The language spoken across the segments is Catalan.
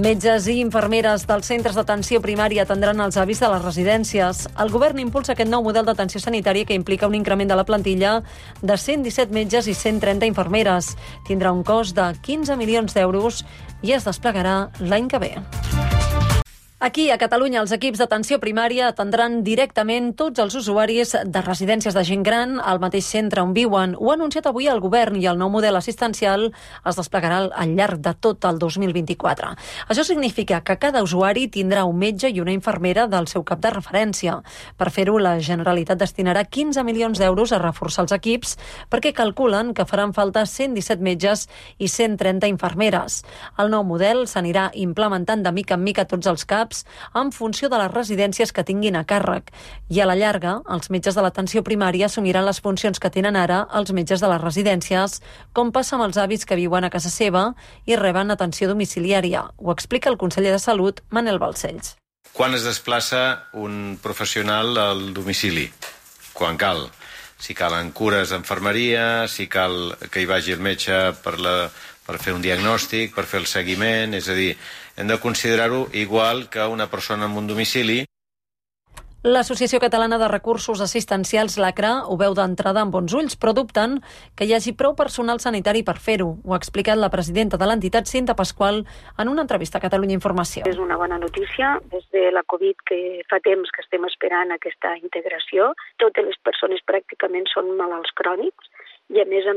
Metges i infermeres dels centres d'atenció primària atendran els avis de les residències. El govern impulsa aquest nou model d'atenció sanitària que implica un increment de la plantilla de 117 metges i 130 infermeres. Tindrà un cost de 15 milions d'euros i es desplegarà l'any que ve. Aquí, a Catalunya, els equips d'atenció primària atendran directament tots els usuaris de residències de gent gran al mateix centre on viuen. Ho ha anunciat avui el govern i el nou model assistencial es desplegarà al llarg de tot el 2024. Això significa que cada usuari tindrà un metge i una infermera del seu cap de referència. Per fer-ho, la Generalitat destinarà 15 milions d'euros a reforçar els equips perquè calculen que faran falta 117 metges i 130 infermeres. El nou model s'anirà implementant de mica en mica tots els CAPs en funció de les residències que tinguin a càrrec. I a la llarga, els metges de l'atenció primària assumiran les funcions que tenen ara els metges de les residències, com passa amb els avis que viuen a casa seva i reben atenció domiciliària. Ho explica el conseller de Salut, Manel Balcells. Quan es desplaça un professional al domicili? Quan cal. Si calen cures d'enfermeria, si cal que hi vagi el metge per fer un diagnòstic, per fer el seguiment, és a dir, hem de considerar-ho igual que una persona en un domicili. L'Associació Catalana de Recursos Assistencials, l'ACRA, ho veu d'entrada amb bons ulls, però dubten que hi hagi prou personal sanitari per fer-ho. Ho ha explicat la presidenta de l'entitat, Cinta Pasqual, en una entrevista a Catalunya Informació. És una bona notícia. Des de la Covid, que fa temps que estem esperant aquesta integració, totes les persones pràcticament són malalts crònics i, a més,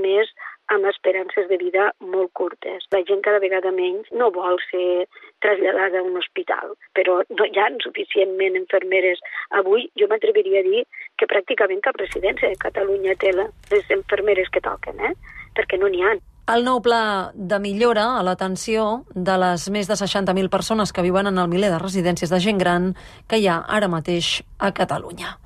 amb esperances de vida molt curtes. La gent cada vegada menys no vol ser traslladada a un hospital, però no hi ha suficientment infermeres. Avui jo m'atreviria a dir que pràcticament cap residència de Catalunya té les infermeres que toquen, perquè no n'hi ha. El nou pla de millora a l'atenció de les més de 60.000 persones que viuen en el miler de residències de gent gran que hi ha ara mateix a Catalunya.